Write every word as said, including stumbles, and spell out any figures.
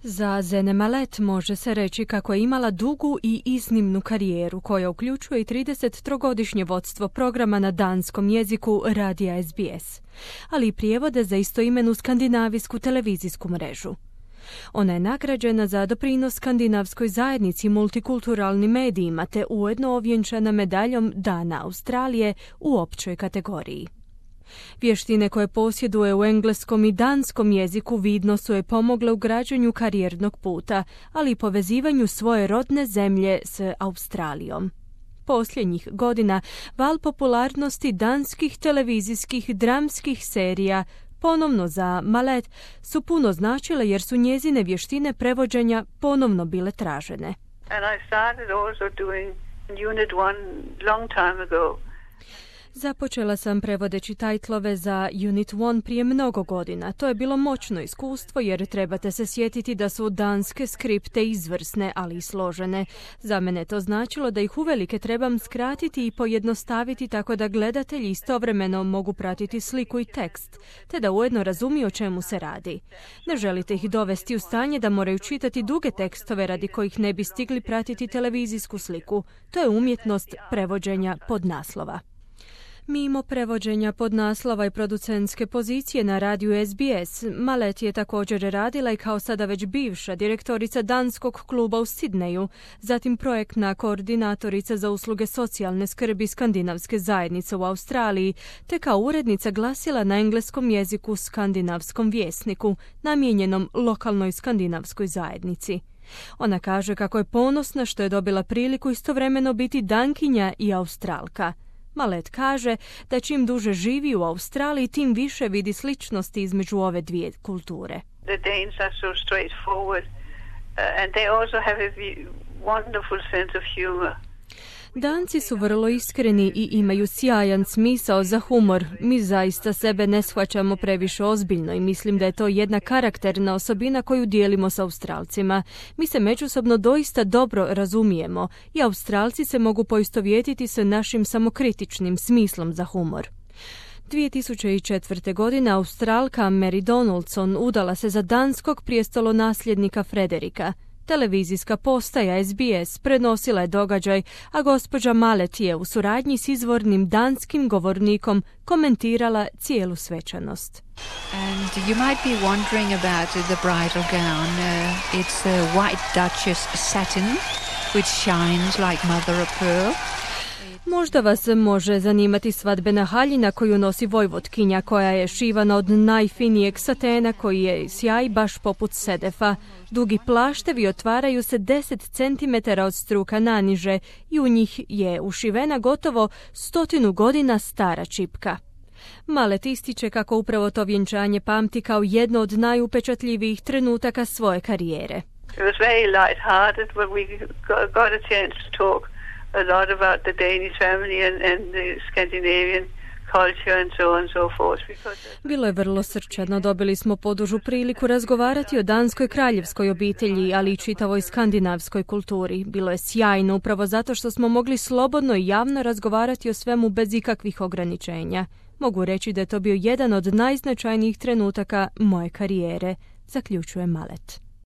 Za Zene Malet može se reći kako je imala dugu i iznimnu karijeru koja uključuje i tridesettrogodišnje vodstvo programa na danskom jeziku radija S B S, ali i prijevode za istoimenu skandinavijsku televizijsku mrežu. Ona je nagrađena za doprinos skandinavskoj zajednici i multikulturalnim medijima te ujedno ovjenčana medaljom Dana Australije u općoj kategoriji. Vještine koje posjeduje u engleskom i danskom jeziku vidno su je pomogle u građenju karijernog puta, ali i povezivanju svoje rodne zemlje s Australijom. Posljednjih godina val popularnosti danskih televizijskih dramskih serija ponovno za Malet su puno značile jer su njezine vještine prevođenja ponovno bile tražene. And I started also doing Unit one long time ago. Započela sam prevodeći tajtlove za Unit one prije mnogo godina. To je bilo moćno iskustvo jer trebate se sjetiti da su danske skripte izvrsne, ali i složene. Za mene to značilo da ih uvelike trebam skratiti i pojednostaviti tako da gledatelji istovremeno mogu pratiti sliku i tekst, te da ujedno razumiju o čemu se radi. Ne želite ih dovesti u stanje da moraju čitati duge tekstove radi kojih ne bi stigli pratiti televizijsku sliku. To je umjetnost prevođenja podnaslova. Mimo prevođenja podnaslova i producentske pozicije na radiju S B S, Malet je također radila i kao sada već bivša direktorica danskog kluba u Sidneju, zatim projektna koordinatorica za usluge socijalne skrbi skandinavske zajednice u Australiji, te kao urednica glasila na engleskom jeziku skandinavskom vjesniku, namijenjenom lokalnoj skandinavskoj zajednici. Ona kaže kako je ponosna što je dobila priliku istovremeno biti dankinja i Australka. Malet kaže da čim duže živi u Australiji, tim više vidi sličnosti između ove dvije kulture. The Danes are so straightforward uh, and they also have a wonderful sense of humor. Danci su vrlo iskreni i imaju sjajan smisao za humor. Mi zaista sebe ne shvaćamo previše ozbiljno i mislim da je to jedna karakterna osobina koju dijelimo s Australcima. Mi se međusobno doista dobro razumijemo i Australci se mogu poistovjetiti sa našim samokritičnim smislom za humor. dvije tisuće četvrte. godine Australka Mary Donaldson udala se za danskog prijestolonasljednika Frederika. Televizijska postaja S B S prenosila je događaj, a gospođa Malet je u suradnji s izvornim danskim govornikom komentirala cijelu svečanost. And you might be wondering about the bridal gown. Uh, it's a white Duchess satin which shines like mother of pearl. Možda vas može zanimati svadbena haljina koju nosi vojvotkinja, koja je šivana od najfinijeg satena koji je sjaj baš poput sedefa. Dugi plaštevi otvaraju se deset centimetara od struka naniže i u njih je ušivena gotovo stotinu godina stara čipka. Malet ističe kako upravo to vjenčanje pamti kao jedno od najupečatljivijih trenutaka svoje karijere. It was very light-hearted when we got a chance to talk a lot about the Danish family and, and the Scandinavian culture and so on and so forth. Bilo je vrlo srčano. Dobili smo podužu priliku razgovarati o danskoj kraljevskoj obitelji, ali i čitavoj skandinavskoj kulturi. Bilo je sjajno upravo zato što smo mogli slobodno i javno razgovarati o svemu bez ikakvih ograničenja. Mogu reći da je to bio jedan od najznačajnijih trenutaka moje karijere, zaključuje Malet.